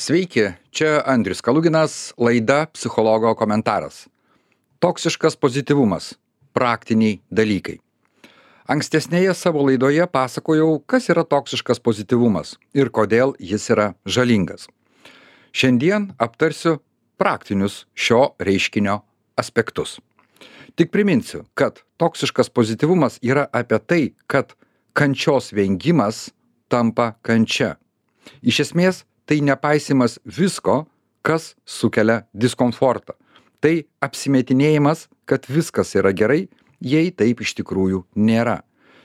Sveiki, čia Andrius Kaluginas, laida Psichologo komentaras. Toksiškas pozityvumas - praktiniai dalykai. Ankstesnėje savo laidoje pasakojau, kas yra toksiškas pozityvumas ir kodėl jis yra žalingas. Šiandien aptarsiu praktinius šio reiškinio aspektus. Tik priminsiu, kad toksiškas pozityvumas yra apie tai, kad kančios vengimas tampa kančia. Iš esmės, tai nepaisimas visko, kas sukelia diskomfortą. Tai apsimetinėjimas, kad viskas yra gerai, jei taip iš tikrųjų nėra.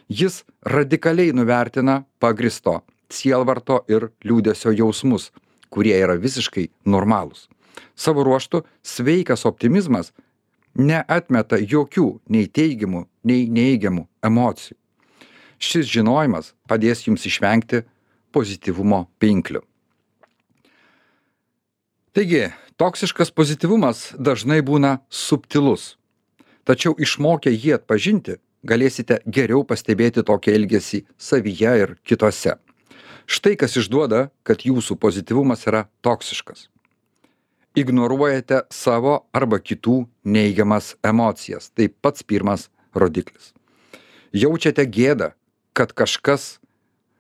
Jis radikaliai nuvertina pagristo sielvarto ir liūdesio jausmus, kurie yra visiškai normalūs. Savo ruožtu sveikas optimizmas neatmeta jokių nei teigiamų, nei neigiamų emocijų. Šis žinojimas padės jums išvengti pozityvumo pinklių. Taigi, toksiškas pozityvumas dažnai būna subtilus. Tačiau išmokę jį atpažinti, galėsite geriau pastebėti tokį elgesį savyje ir kitose. Štai kas išduoda, kad jūsų pozityvumas yra toksiškas. Ignoruojate savo arba kitų neigiamas emocijas. Tai pats pirmas rodiklis. Jaučiate gėdą, kad kažkas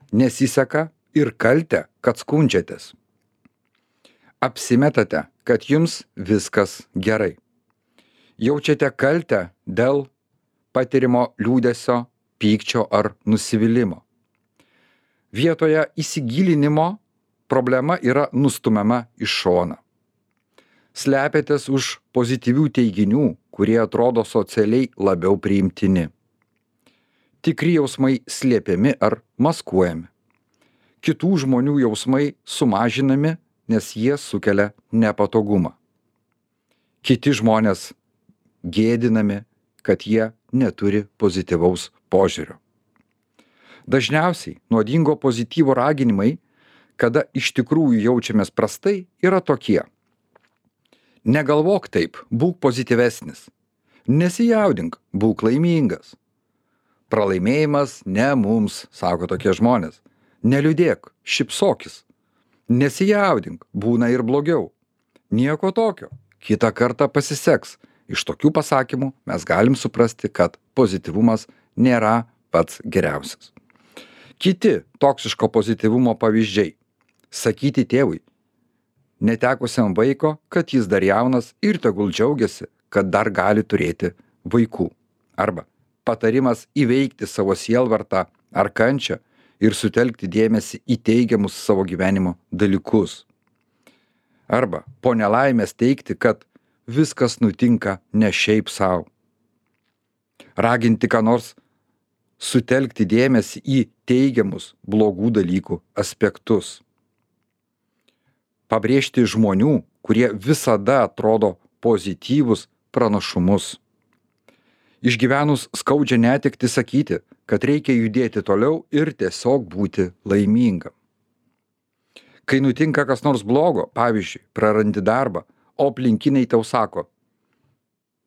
nesiseka ir kaltę, kad skundžiatės. Apsimetate, kad jums viskas gerai. Jaučiate kaltę dėl patirimo liūdesio, pykčio ar nusivylimo. Vietoje įsigilinimo problema yra nustumiama į šoną. Slepiatės už pozityvių teiginių, kurie atrodo socialiai labiau priimtini. Tikri jausmai slėpiami ar maskuojami. Kitų žmonių jausmai sumažinami, nes jie sukelia nepatogumą. Kiti žmonės gėdinami, kad jie neturi pozityvaus požiūrio. Dažniausiai nuodingo pozityvo raginimai, kada iš tikrųjų jaučiamės prastai, yra tokie. Negalvok taip, būk pozityvesnis. Nesijaudink, būk laimingas. Pralaimėjimas ne mums, sako tokie žmonės. Neliūdėk, šypsokis. Nesijaudink, būna ir blogiau. Nieko tokio, kitą kartą pasiseks. Iš tokių pasakymų mes galim suprasti, kad pozityvumas nėra pats geriausias. Kiti toksiško pozityvumo pavyzdžiai. Sakyti tėvui, netekusiam vaiko, kad jis dar jaunas ir tegul džiaugiasi, kad dar gali turėti vaikų. Arba patarimas įveikti savo sielvartą ar kančią ir sutelkti dėmesį į teigiamus savo gyvenimo dalykus. Arba po nelaimės teigti, kad viskas nutinka ne šiaip savo. Raginti ką nors sutelkti dėmesį į teigiamus blogų dalykų aspektus. Pabrėžti žmonių, kurie visada atrodo pozityvus pranašumus. Išgyvenus skaudžią netektį sakyti, kad reikia judėti toliau ir tiesiog būti laimingam. Kai nutinka kas nors blogo, pavyzdžiui, prarandi darbą, o aplinkiniai tau sako,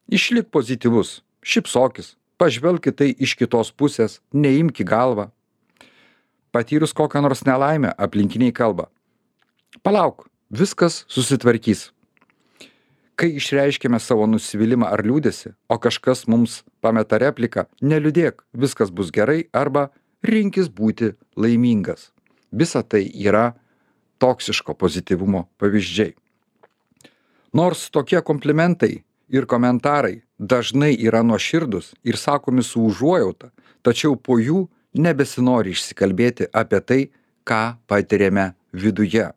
išlik pozityvus, šypsokis, pažvelk į tai iš kitos pusės, neimk į galvą. Patyrus kokią nors nelaimę, aplinkiniai kalba, palauk, viskas susitvarkys. Kai išreiškėme savo nusivylimą ar liūdesį, o kažkas mums pameta repliką, neliūdėk, viskas bus gerai, arba rinkis būti laimingas. Visa tai yra toksiško pozityvumo pavyzdžiai. Nors tokie komplimentai ir komentarai dažnai yra nuoširdūs ir sakomi su užuojauta, tačiau po jų nebesinori išsikalbėti apie tai, ką patiriame viduje.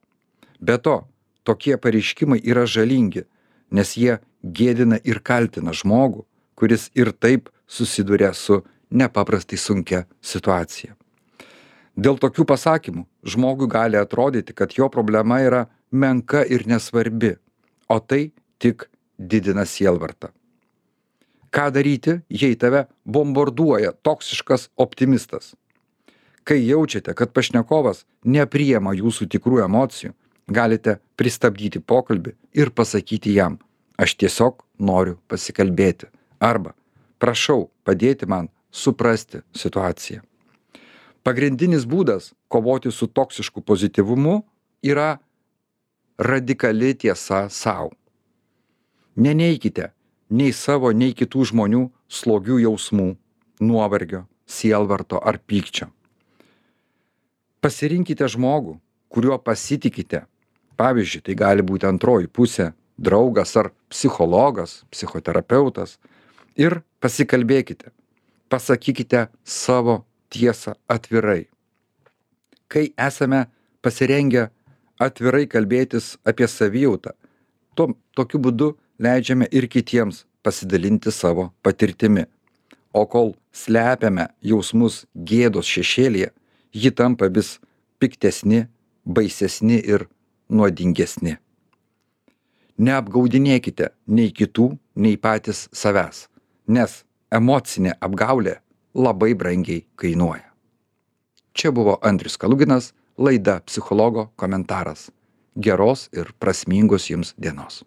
Be to, tokie pareiškimai yra žalingi, nes jie gėdina ir kaltina žmogų, kuris ir taip susiduria su nepaprastai sunkia situacija. Dėl tokių pasakymų žmogui gali atrodyti, kad jo problema yra menka ir nesvarbi, o tai tik didina sielvartą. Ką daryti, jei tave bombarduoja toksiškas optimistas? Kai jaučiate, kad pašnekovas nepriima jūsų tikrų emocijų, galite pristabdyti pokalbį ir pasakyti jam, aš tiesiog noriu pasikalbėti. Arba, prašau padėti man suprasti situaciją. Pagrindinis būdas kovoti su toksišku pozityvumu yra radikali tiesa sau. Neneikite nei savo, nei kitų žmonių slogių jausmų, nuovargio, sielvarto ar pykčio. Pasirinkite žmogų, kuriuo pasitikite. Pavyzdžiui, tai gali būti antroji pusė, draugas ar psichologas, psichoterapeutas. Ir pasikalbėkite. Pasakykite savo tiesą atvirai. Kai esame pasirengę atvirai kalbėtis apie savijautą, tokiu būdu leidžiame ir kitiems pasidalinti savo patirtimi. O kol slepiame jausmus gėdos šešėlyje, ji tampa vis piktesni, baisesni ir nuodingesni. Neapgaudinėkite nei kitų, nei patys savęs, nes emocinė apgaulė labai brangiai kainuoja. Čia buvo Andrius Kaluginas, laida Psichologo komentaras. Geros ir prasmingos jums dienos.